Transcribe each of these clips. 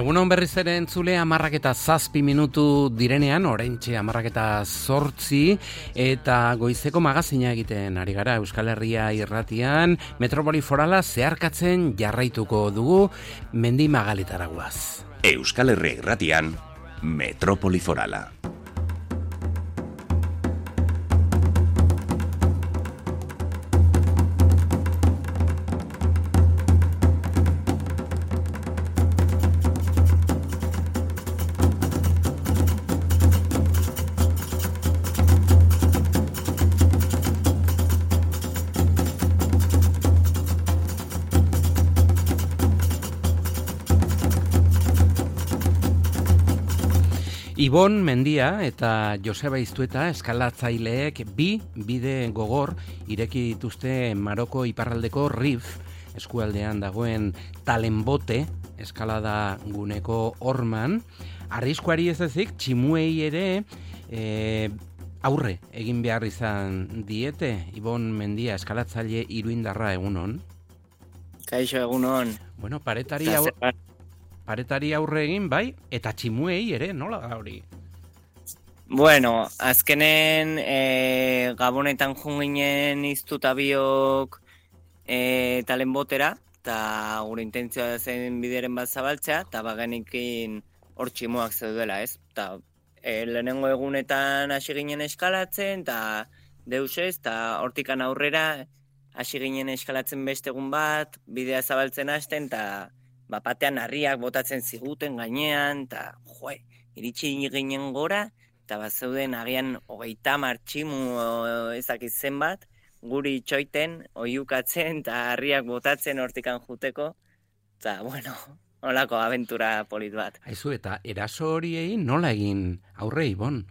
Egunon berriz ere entzule 10:07 direnean, oraintxe 10:08 eta goizeko magazina egiten ari gara Euskal Herria irratian, Metropoli Forala zeharkatzen jarraituko dugu Mendi Magalitara guaz. Euskal Herria irratian, Metropoli Forala. Ibon Mendia eta Joseba Iztueta eskalatzaileek bi bide gogor ireki dituzte Maroko iparraldeko Rif eskualdean dagoen Talenbote eskalada guneko horman. Arriskuari ez ezik, tximuei ere aurre egin behar izan diete. Ibon Mendia eskalatzaile iruindarra egunon. Kaixo egunon. Bueno, paretari aurre egin, bai, eta tximuei ere, nola da hori? Bueno, azkenen Gabonetan junginen iztuta biok Talenbotera, eta gure intentzioa zen bideren bat zabaltzea, eta bagenikin hor tximuak zeudela, ez? Eta lehenengo egunetan hasi ginen eskalatzen, eta deusez, eta hortikan aurrera hasi ginen eskalatzen beste egun bat, bidea zabaltzen hasten, eta batean harriak botatzen ziguten gainean, eta iritsi ginen gora, eta zeuden agian 30 tximu ezakiz zenbat, guri itxoiten, oiukatzen, eta harriak botatzen hortikan juteko, eta bueno, holako abentura polit bat. Aizu, eta eraso horiei nola egin aurre, Ibon?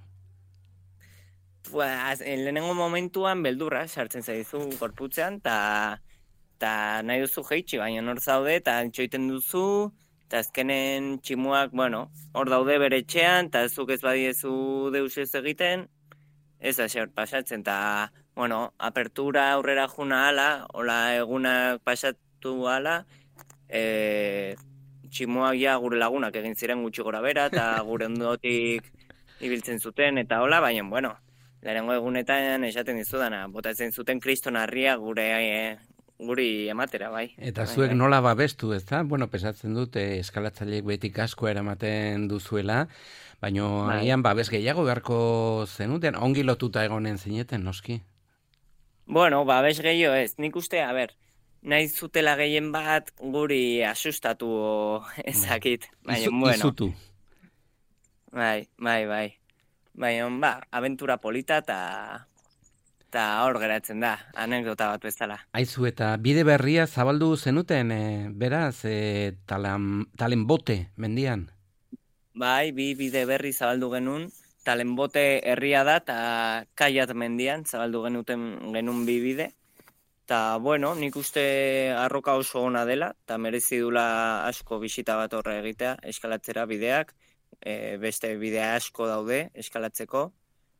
Lehenengo momentuan beldurra sartzen zaizu gorputzean, eta nahi duzu jeitsi, baina hor zaude, eta itxoiten duzu, eta azkenen tximuak, hor daude bere etxean, eta zuk ez badiezu deus ez egiten, ez da xer pasatzen, eta, apertura aurrera juna ala, hola egunak pasatu ala, tximuak ja gure lagunak egin ziren gutxi gora bera, eta gure ondotik ibiltzen zuten, eta hola, baina, lehenengo egunetan esaten dizudana, botatzen zuten kriston harria guri ematera, bai. Eta zuek nola babestu, ez da? Pesatzen dut, eskalatzaileek betik asko eramaten duzuela, baina agian babes gehiago beharko zenuten, ongi lotuta egonen zineten, noski? Babes gehiago ez, nik uste, nahi zutela gehien bat guri asustatu ezakit. Izutu. Bai. Baina, abentura polita eta hor geratzen da, anekdota bat bezala. Aizu, eta bide berria zabaldu zenuten, beraz, Talenbote mendian? Bai, bi bide berri zabaldu genuen, Talenbote herria da, eta Kaiat mendian zabaldu genuen bi bide. Eta, nik uste arroka oso ona dela, eta merezi dula asko bisita bat horre egitea, eskalatzera bideak, beste bidea asko daude eskalatzeko,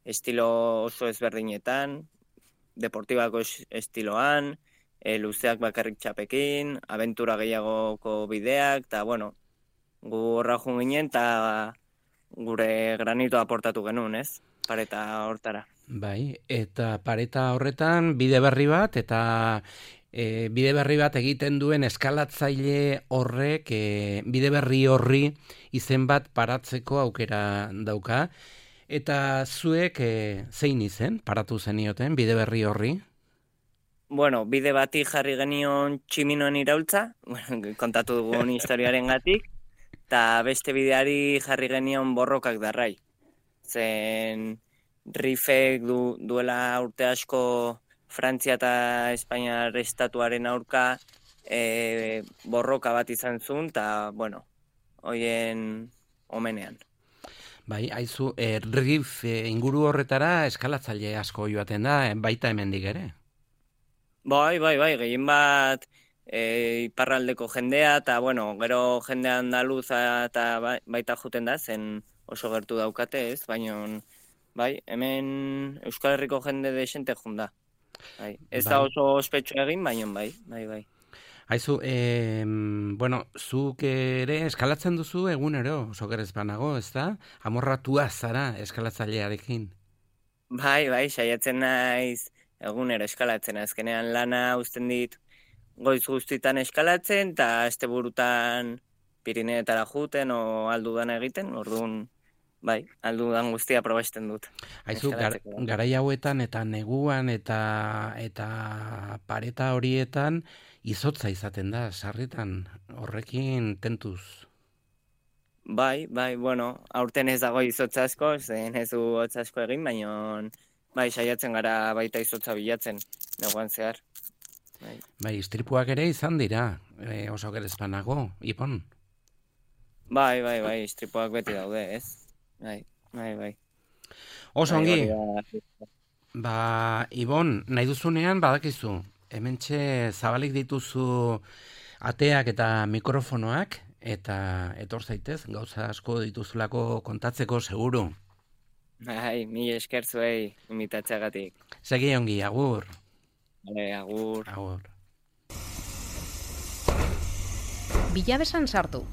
estilo oso ezberdinetan, deportibako estiloan, luzeak bakarrik txapekin, abentura gehiagoko bideak, eta gu horra ginen eta gure granito aportatu genuen, ez? Pareta hortara. Bai, eta pareta horretan bide berri bat, eta bide berri bat egiten duen eskalatzaile horrek bide berri horri izen bat paratzeko aukera dauka. Eta zuek zein izen paratu zenioten bide berri horri? Bide bati jarri genion tximinoen iraultza, kontatu dugun historiaren gatik, eta beste bideari jarri genion borrokak darrai. Zen Rifek duela urte asko Frantzia eta Espainiar estatuaren aurka borroka bat izan zuen, eta, hoien omenean. Bai, aizu, Rif inguru horretara eskalatzaile asko joaten da, baita hemendik ere? Bai, gehien bat iparraldeko jendea, eta, gero jendea andaluza eta baita juten da, zen oso gertu daukate, ez? Baina, hemen Euskal Herriko jende desente junda. Ez da oso ospetsu egin, baina bai. Aizu, bueno, zuk ere eskalatzen duzu egunero, oso gerez banago, ez da? Amorratua zara eskalatzailearekin. Bai, saiatzen naiz egunero eskalatzen. Azkenean lana uzten dit goiz guztitan eskalatzen, eta asteburutan Pirineetara juten o aldudan egiten, orduan, bai, aldudan guztia probasten dut. Aizu, garai hauetan eta neguan eta pareta horietan izotza izaten da, sarritan, horrekin tentuz. Bai, bueno, aurten ez dago izotza asko, zen ez du hotz asko egin, baina bai, saiatzen gara baita izotza bilatzen, neguan zehar. Bai, istripuak ere izan dira, oso gerez banago, Ipon. Bai, istripuak beti daude, ez? Bai. Oso ongi, Ibon, nahi duzunean badakizu, hementxe zabalik dituzu ateak eta mikrofonoak, eta etor zaitez, gauza asko dituzulako kontatzeko seguru. Bai, mila esker zuei, imitatzeagatik. Segi ongi, agur. Vale, agur. Agur. Bilabesan sartu,